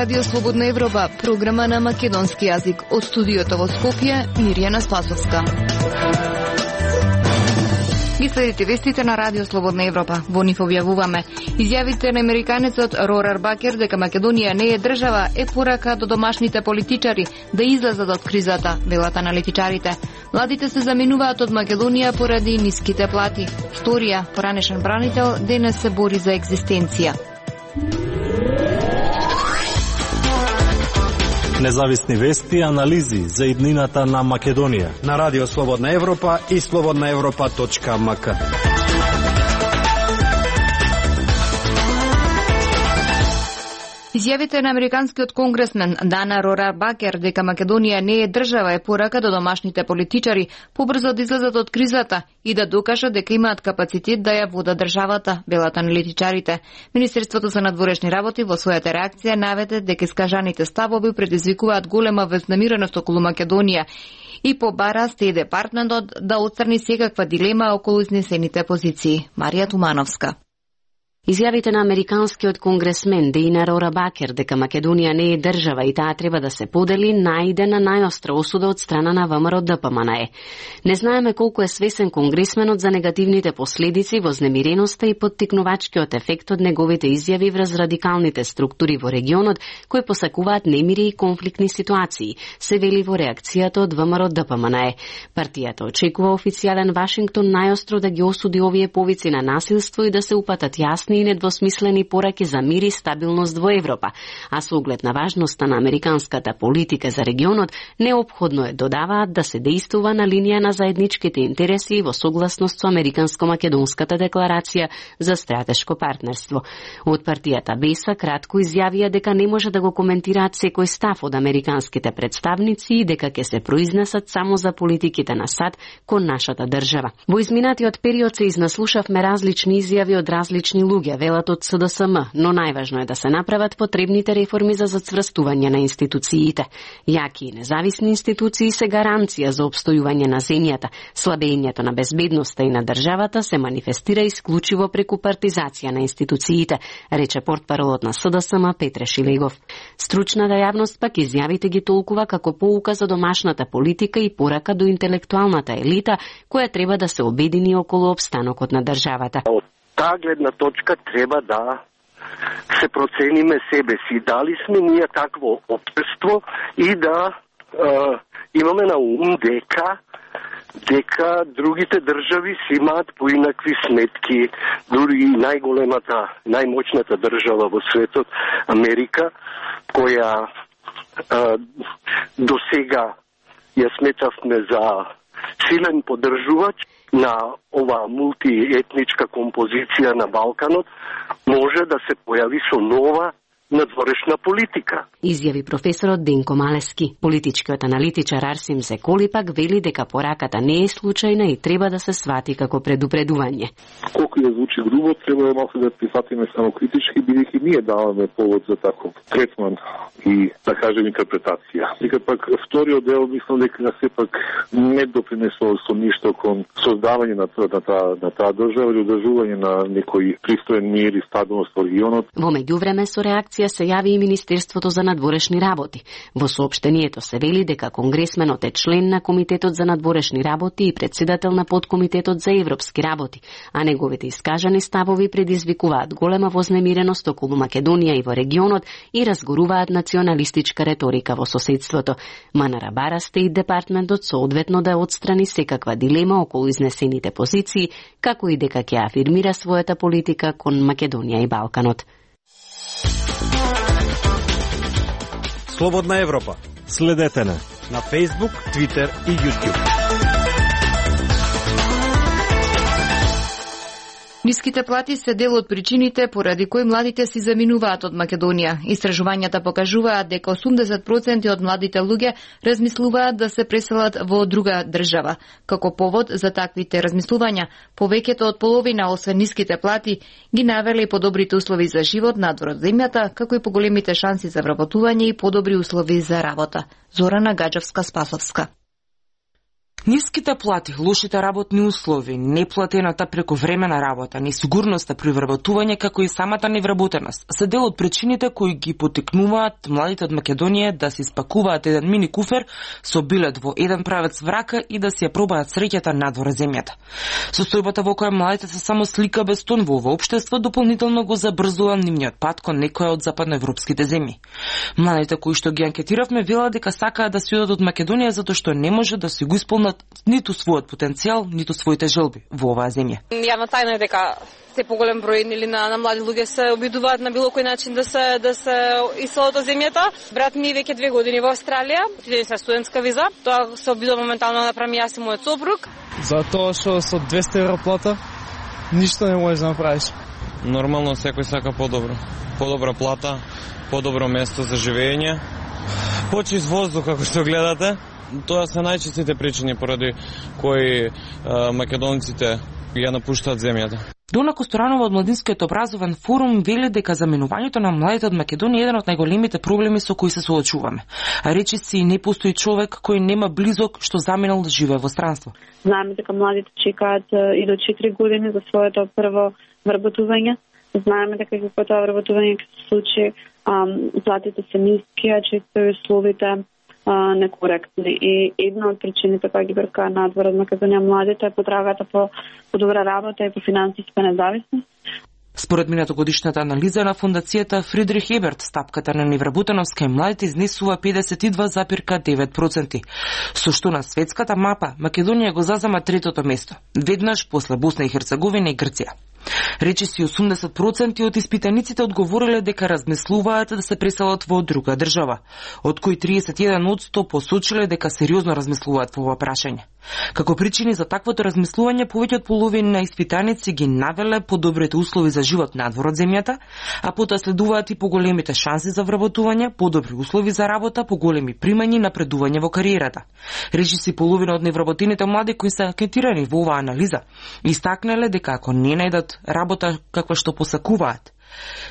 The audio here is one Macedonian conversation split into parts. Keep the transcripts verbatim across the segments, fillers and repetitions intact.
Радио Слободна Европа, програма на македонски јазик. Од студиото во Скопје, Мирјана Спасовска. Ги следите вестите на Радио Слободна Европа. Во нив објавуваме: изјавите на американецот Рорар Бакер дека Македонија не е држава е порака до домашните политичари да излезат од кризата, велат аналитичарите. Младите се заминуваат од Македонија поради ниските плати. Сторија, поранешен бранител, денес се бори за екзистенција. Независни вести и анализи за иднината на Македонија на Радио Слободна Европа и слободна европа точка ем ка. Изјавите на американскиот конгресмен Дана Рорар Бакер дека Македонија не е држава е порака до домашните политичари побрзо да излезат од кризата и да докажат дека имаат капацитет да ја водат државата, велат аналитичарите. Министерството за надворешни работи во својата реакција наведе дека искажаните ставови предизвикуваат голема вознемиреност околу Македонија и побара Стеј департментот да отстрани секаква дилема околу изнесените позиции. Марија Тумановска. Изјавите на американскиот конгресмен Дана Рорар Бакер дека Македонија не е држава и таа треба да се подели најде на најостра осуда од страна на ВМРО Д П М Н Е. Не знаеме колку е свесен конгресменот за негативните последици, вознемиреноста и поттикнувачкиот ефект од неговите изјави врз радикалните структури во регионот кои посакуваат немири и конфликтни ситуации, се вели во реакцијата од ВМРО Д П М Н Е. Партијата очекува официјален Вашингтон најостро да ги осуди овие повици на насилство и да се упатат јасни и недвосмислени пораки за мир и стабилност во Европа, а со оглед на важноста на американската политика за регионот, неопходно е, додаваат, да се дејствува на линија на заедничките интереси и во согласност со Американско-македонската декларација за стратешко партнерство. Од партијата Беса кратко изјавија дека не може да го коментираат секој став од американските представници и дека ќе се произнесат само за политиките на САД кон нашата држава. Во изминатиот период се изнаслушавме различни изјави од различни луѓе, велат од С Д С М, но најважно е да се направат потребните реформи за зацврстување на институциите. Јаки и независни институции се гаранција за обстојување на земјата. Слабењето на безбедноста и на државата се манифестира исклучиво преку партизација на институциите, рече портпаролот на С Д С М Петре Шилегов. Стручната јавност пак изјавите ги толкува како поука за домашната политика и порака до интелектуалната елита, која треба да се обедини околу обстанокот на државата. Таа гледна точка треба да се процениме себе си. Дали сме ние такво општество и да е, имаме на ум дека дека другите држави си имаат поинакви сметки. Дури и најголемата, најмоćната држава во светот, Америка, која е, до сега ја сметавме за силен поддржувач на ова мултиетничка композиција на Балканот, може да се појави со нова надворешна политика. Изјави професорот Денко Малески. Политичкиот аналитичар Арсим Зеколи пак вели дека пораката не е случајна и треба да се свати како предупредување. Колку ја звучи грубо, треба да малку да прифатиме само критички, бидејќи ние даваме повод за таков третман и, да кажем, интерпретација. Дека пак вториот дел, мислам дека сепак не допринесол со ништо кон создавање на таа на таа држава или одржување на некој пристоен мир и стабилност во регионот. Во меѓувреме со реакција се јави и Министерството за надворешни работи. Во соопштението се вели дека конгресменот е член на Комитетот за надворешни работи и претседател на подкомитетот за европски работи, а неговите искажани ставови предизвикуваат голема вознемиреност околу Македонија и во регионот и разгоруваат националистичка реторика во соседството. Манара бара Стеј департментот соодветно да отстрани секаква дилема околу изнесените позиции, како и дека ќе афирмира својата политика кон Македонија и Балканот. Слободна Европа. Следете на на Facebook, Twitter и YouTube. Ниските плати се дел од причините поради кои младите си заминуваат од Македонија. Истражувањата покажуваат дека осумдесет проценти од младите луѓе размислуваат да се преселат во друга држава. Како повод за таквите размислувања, повеќето од половина, освен ниските плати, ги навеле и подобрите услови за живот надвор од земјата, како и поголемите шанси за вработување и подобри услови за работа. Зорана Гаджевска-Спасовска. Ниските плати, лошите работни услови, неплатената прековремена работа, несигурноста при вработување, како и самата невработеност, се дел од причините кои ги потикнуваат младите од Македонија да се испакуваат еден мини куфер со билет во еден правец врака и да си ја пробаат среќата надвор земјата. Состојбата во која младите се само слика без тон во ова општество дополнително го забрзува нивниот пат кон некоја од западноевропските земји. Младите кои што ги анкетиравме велат дека сакаат да си одат од Македонија затоа што не може да си го исполнат ниту својот потенцијал, ниту своите желби во оваа земја. Јавна тајна е дека се поголем број нели на, на млади луѓе се обидуваат на било кој начин да се да се иселат од земјата. Брат ми веќе две години во Австралија, отиде со студентска виза. Тоа се обидува моментално да направи јас и мојот сопруг. Затоа што со двесте евро плата ништо не можеш да направиш. Нормално секој сака подобро. Подобра плата, подобро место за живење, почист воздух како што гледате. Тоа се најчестите причини поради кои е, македонците ја напуштаат земјата. Дона Косторанова од Младинскиот образовен форум вели дека заменувањето на младите од Македонија е еден од најголемите проблеми со кои се соочуваме. А речиси не постои човек кој нема близок што заминал да живее во странство. Знаеме дека младите чекаат и до четири години за своето прво вработување. Знаеме дека како тоа вработување ќе се случи, платите се ниски, а често и условите некоректни. И една од причините која ги бркаа надвор од Македонија младите е потрагата по подобра работа и по финансиска независност. Според минатогодишната анализа на фондацијата Фридрих Еберт, стапката на невработеност кај младите изнесува педесет и два запирка девет проценти. Со што на светската мапа Македонија го зазема третото место, веднаш после Босна и Херцеговина и Грција. Речиси осумдесет проценти од испитаниците одговориле дека размислуваат да се преселат во друга држава, од кои триесет и еден одсто посочиле дека сериозно размислуваат во ова прашање. Како причини за таквото размислување, повеќе од половина на испитаници ги навеле подобрите услови за живот надвор од земјата, а потоа следуваат и поголемите шанси за вработување, подобри услови за работа, поголеми примања и напредување во кариерата. Речиси половина од невработените млади кои се анкетирани во оваа анализа истакнале дека ако не најдат работа каква што посакуваат,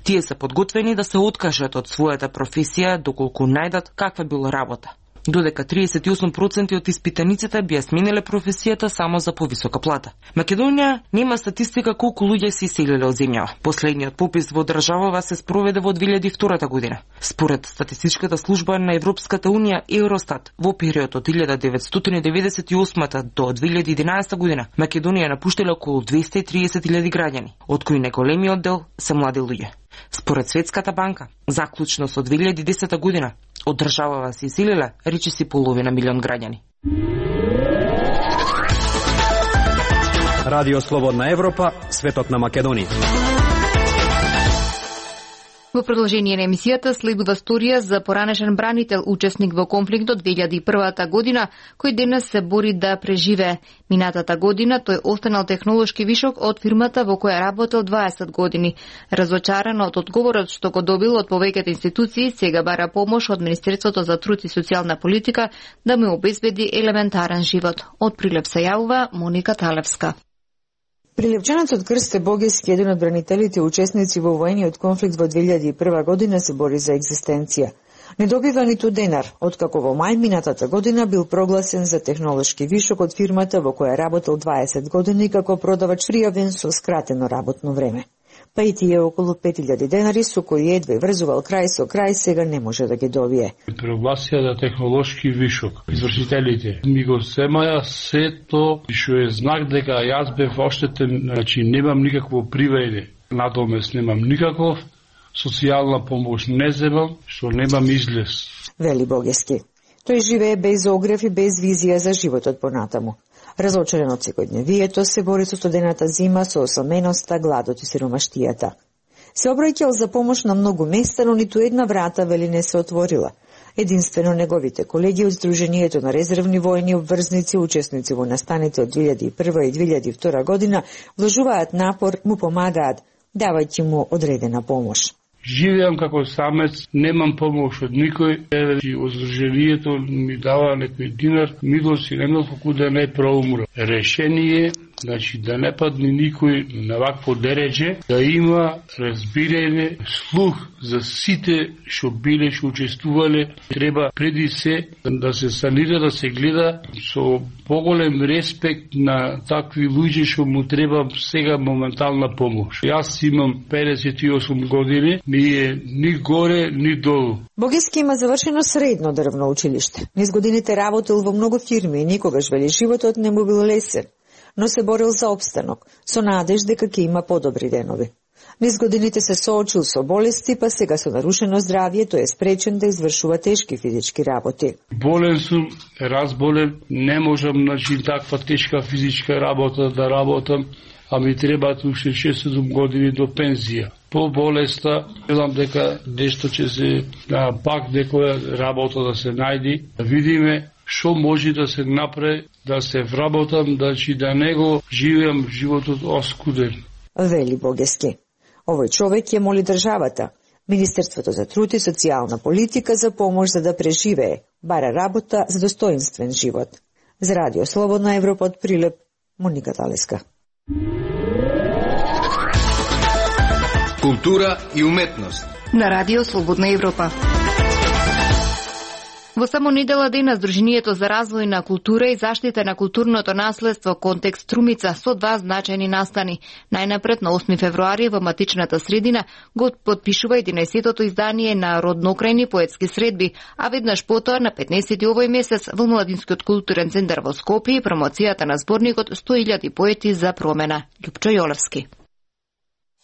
тие се подготвени да се откажат од својата професија доколку најдат каква било работа. Додека триесет и осум проценти од испитаниците би ја смениле професијата само за повисока плата. Македонија нема статистика колку луѓе се иселиле од земјава. Последниот попис во државава се спроведе во две илјади и втора година. Според статистичката служба на Европската унија Евростат, во период од илјада деветстотини деветдесет и осма до две илјади и единаесета година, Македонија напуштиле околу двесте и триесет илјади граѓани, од кои најголемиот дел се млади луѓе. Според Светската банка, заклучно со две илјади и десета година, од државава се иселиле речиси половина милион граѓани. Радио Слободна Европа, светот на Македонија. Во продолжение на емисијата следува сторија за поранешен бранител, учесник во конфликтот две илјади и прва година, кој денес се бори да преживее. Минатата година тој останал технолошки вишок од фирмата во која работел дваесет години. Разочаран од одговорот што го добил од повеќето институции, сега бара помош од Министерството за труд и социјална политика да му обезбеди елементарен живот. Од Прилеп се јавува Моника Талевска. Прилепчанецот Крсте Богески, еден од бранителите учесници во воениот конфликт во две илјади и прва година, се бори за екзистенција. Не добива ниту денар, откако во мај минатата година бил прогласен за технолошки вишок од фирмата во која работел дваесет години како продавач пријавен со скратено работно време. Па и тие околу пет илјади денари со кои едва врзувал крај со крај, сега не може да ги добие. Прогласија за технолошки вишок. Извршителите ми го земаја сето, што е знак дека јас бев оштетен, значи немам никакво привајде. Надомес немам никаков, социјална помош не земам, што немам излез. Вели Богески. Тој живее без огрев и без визија за животот понатаму. Разочарен од секојдневието, се бори со студената зима, со осаменоста, гладот и сиромаштијата. Се обраќал за помош на многу места, но ниту една врата вели не се отворила. Единствено неговите колеги од Сдруженијето на резервни војни обврзници, учесници во настаните од две илјади и прва и две илјади и втора година, вложуваат напор, му помагаат, давајќи му одредена помош. живеам како самец, немам помош од никој, и Сдруженијето ми дава некој динар, милост и немам како да не проумра. Решение, значи да не падне никој на вакво дередже, да има разбирање, слух за сите што биле, што учествувале. Треба преди се да се санира, да се гледа со поголем респект на такви луѓе што му треба сега моментална помош. Јас имам педесет и осум години, ми е ни горе, ни долу. Богески има завршено средно дрвно училиште. Низ годините работел во многу фирми и никогаш, вели, животот не му бил лесен, но се борил за обстанок, со надеж дека ќе има подобри денови. Низ годините се соочил со болести, па сега со нарушено здравје тој е спречен да извршува тешки физички работи. Болен сум, разболен, не можам значи таква тешка физичка работа да работам, а ми требаат уште шест-седум години до пензија. По болеста, гледам дека нешто ќе се, да, пак некоја работа да се најди, да видиме што може да се направи, да се вработам, да чи да не го живеам животот оскуден. Вели Богески. Овој човек ја моли државата, Министерството за труд и социјална политика за помош за да преживее, бара работа за достоинствен живот. За Радио Слободна Европа од Прилеп, Моника Талеска. Култура и уметност на Радио Слободна Европа. Во само недела дена Сдруженијето за развој на култура и заштита на културното наследство Контекст Струмица со два значајни настани. Најнапред на осми февруари во матичната средина го подпишува единаесеттото издание на родноукрајни поетски средби, а веднаш потоа на петнаесети овој месец во Младинскиот културен центар во Скопје промоцијата на зборникот сто илјади поети за промена. Љупчо Јолевски.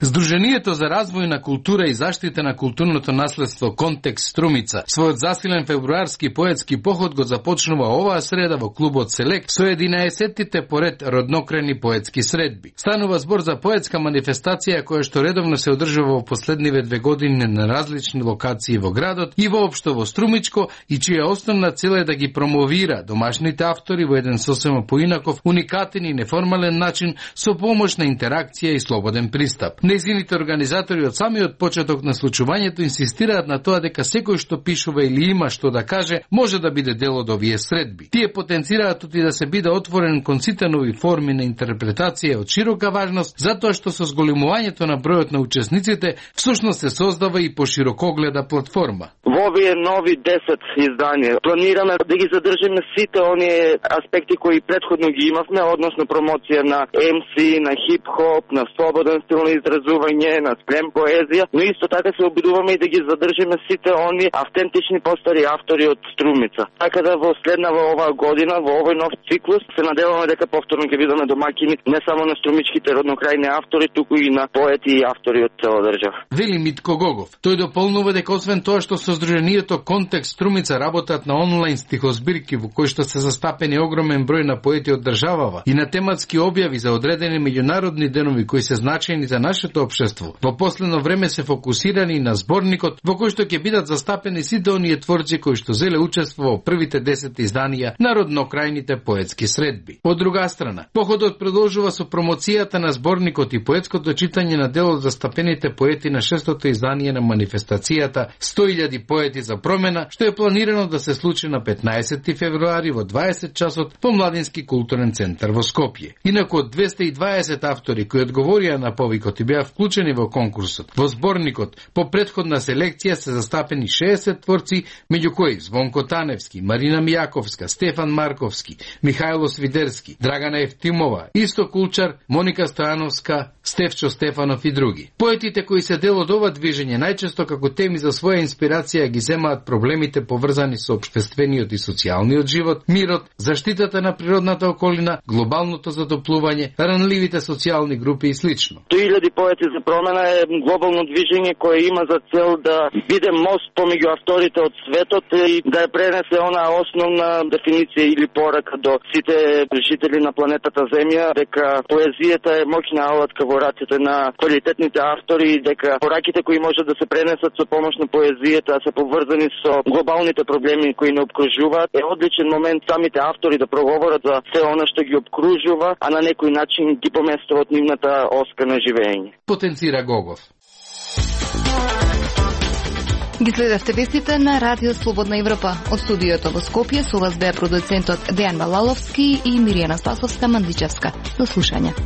Сдруженијето за развој на култура и заштита на културното наследство Контекст Струмица својот засилен февруарски поетски поход го започнува оваа среда во клубот Селек со единаесеттите поред роднокрајни поетски средби. Станува збор за поетска манифестација која што редовно се одржува во последниве две години на различни локации во градот и воопшто во Струмичко и чија основна цел е да ги промовира домашните автори во еден сосема поинаков, уникатен и неформален начин со помош на интеракција и слободен пристап. Нејзините организатори од самиот почеток на случувањето инсистираат на тоа дека секој што пишува или има што да каже може да биде дел од овие средби. Тие потенцираат и да се биде отворен кон сите нови форми на интерпретација од широка важност, затоа што со зголемувањето на бројот на учесниците всушност се создава и поширокогледа платформа. Во овие нови десет изданија планираме да ги задржиме сите оние аспекти кои претходно ги имавме, односно промоција на ем си, на хип-хоп, на слободен стил на изразување, на слем поезија, но исто така се обидуваме и да ги задржиме сите они автентични постари автори од Струмица. Така да во следнава оваа година, во овој нов циклус, се надеваме дека повторно ќе бидеме домаќини не само на струмичките роднокрајни автори, туку и на поети и автори од цела држава. Вели Митко Гогов. Тој дополнува дека освен тоа што со Сдруженијето Контекст Струмица работат на онлайн стихозбирки во кои што се застапени огромен број на поети од државава и на тематски објави за одредени меѓународни денови кои се значајни за нашето општество. Во последно време се фокусирани на зборникот во кој што ќе бидат застапени сите оние творци кои што зеле учество во првите десет изданија на роднокрајните поетски средби. Од друга страна, походот продолжува со промоцијата на зборникот и поетското читање на дел од застапените поети на шестото издание на манифестацијата сто илјади поети за промена, што е планирано да се случи на петнаесети февруари во дваесет часот по Младински културен центар во Скопје. Инаку од двесте и дваесет автори кои одговорија на повикот и беа вклучени во конкурсот. Во зборникот по претходна селекција се застапени шеесет творци, меѓу кои Звонко Таневски, Марина Мијаковска, Стефан Марковски, Михајло Свидерски, Драгана Евтимова, Исто Кулчар, Моника Стојановска, Стефчо Стефанов и други. Поетите кои се дел од ова движење најчесто како теми за своја инспирација ги земаат проблемите поврзани со општествениот и социјалниот живот, мирот, заштитата на природната околина, глобалното затоплување, ранливите социјални групи и слично. сто илјади поети за промена е глобално движење кое има за цел да биде мост помеѓу авторите од светот и да ја пренесе онаа основна дефиниција или порака до сите жители на планетата Земја, дека поезијата е моќна алатка во раците на квалитетните автори и дека пораките кои може да се пренесат со помош на поезијата се поврзани со глобалните проблеми кои не обкружуваат, е одличен момент самите автори да проговорат за се она што ги обкружува, а на некој начин ги поместуваат нивната оска на живење. Потенцира Гогов. Ги следевте вестите на Радио Слободна Европа. Од студиото во Скопје со вас беа продуцентот Дејан Балаловски и Миријана Спасовска Мандличевска. До слушање.